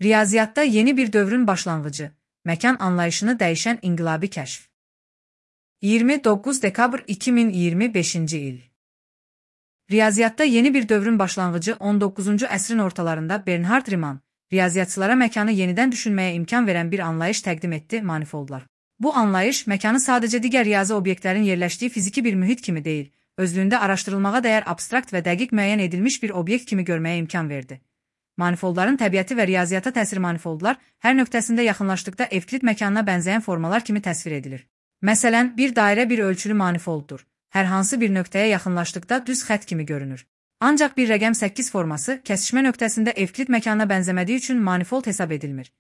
Riyaziyyatda yeni bir dövrün başlanğıcı, məkan anlayışını dəyişən inqilabi kəşf. 29 dekabr 2025-ci il. Riyaziyyatda yeni bir dövrün başlanğıcı 19-cu əsrin ortalarında Bernhard Riemann, riyaziyyatçılara məkanı yenidən düşünməyə imkan verən bir anlayış təqdim etdi, manifoldlar. Bu anlayış məkanı sadəcə digər riyazi obyektlərin yerləşdiyi fiziki bir mühit kimi deyil, özlüyündə araşdırılmağa dəyər abstrakt və dəqiq müəyyən edilmiş bir obyekt kimi görməyə imkan verdi. Manifoldların təbiəti və riyaziyyata təsir manifoldlar hər nöqtəsində yaxınlaşdıqda Evklid məkanına bənzəyən formalar kimi təsvir edilir. Məsələn, bir dairə bir ölçülü manifolddur. Hər hansı bir nöqtəyə yaxınlaşdıqda düz xətt kimi görünür. Ancaq bir rəqəm 8 forması kəsişmə nöqtəsində Evklid məkanına bənzəmədiyi üçün manifold hesab edilmir.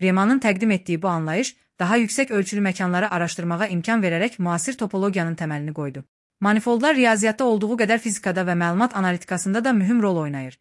Riemannın təqdim etdiyi bu anlayış daha yüksək ölçülü məkanları araşdırmağa imkan verərək müasir topologiyanın təməlini qoydu. Manifoldlar riyaziyyatda olduğu qədər fizikada və məlumat analitikasında da mühüm rol oynayır.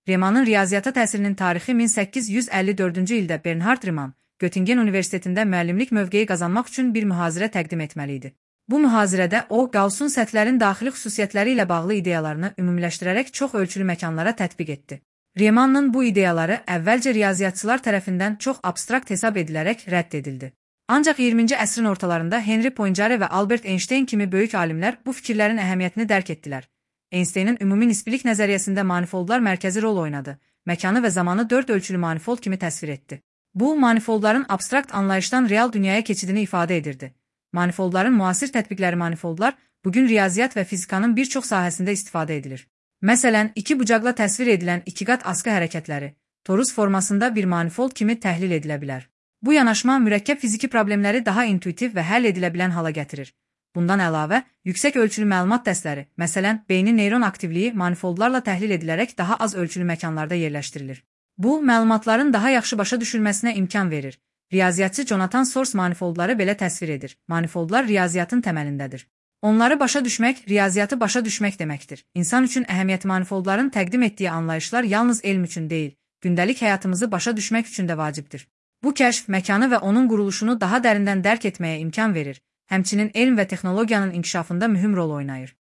Riemannın riyaziyyata təsirinin tarixi 1854-cü ildə Bernhard Riemann, Göttingen Universitetində müəllimlik mövqeyi qazanmaq üçün bir mühazirə təqdim etməli idi. Bu mühazirədə o, Gauss'un səthlərin daxili xüsusiyyətləri ilə bağlı ideyalarını ümumiləşdirərək çox ölçülü məkanlara tətbiq etdi. Riemannın bu ideyaları əvvəlcə riyaziyyatçılar tərəfindən çox abstrakt hesab edilərək rədd edildi. Ancaq 20-ci əsrin ortalarında Henri Poincaré və Albert Einstein kimi böyük alimlər bu fikirlərin əhəmiyyətini dərk etdilər. Einstein'in ümumi nisbilik nəzəriyyəsində manifoldlar mərkəzi rol oynadı, məkanı və zamanı 4 ölçülü manifold kimi təsvir etdi. Bu, manifoldların abstrakt anlayışdan real dünyaya keçidini ifadə edirdi. Manifoldların müasir tətbiqləri manifoldlar bugün riyaziyyat və fizikanın bir çox sahəsində istifadə edilir. Məsələn, iki bucaqla təsvir edilən ikiqat askı hərəkətləri, torus formasında bir manifold kimi təhlil edilə bilər. Bu yanaşma mürəkkəb fiziki problemləri daha intuitiv və həll edilə bilən hala gətirir. Bundan əlavə, yüksək ölçülü məlumat dəstləri, məsələn, beynin neyron aktivliyi manifoldlarla təhlil edilərək daha az ölçülü məkanlarda yerləşdirilir. Bu, məlumatların daha yaxşı başa düşülməsinə imkan verir. Riyaziyyatçı Jonathan Sors manifoldları belə təsvir edir. Manifoldlar riyaziyyatın təməlindədir. Onları başa düşmək, riyaziyyatı başa düşmək deməkdir. İnsan üçün əhəmiyyətli manifoldların təqdim etdiyi anlayışlar yalnız elm üçün deyil, gündəlik həyatımızı başa düşmək üçün də vacibdir. Bu kəşf məkanı və onun quruluşunu daha dərindən dərk etməyə imkan verir. Həmçinin elm və texnologiyanın inkişafında mühüm rol oynayır.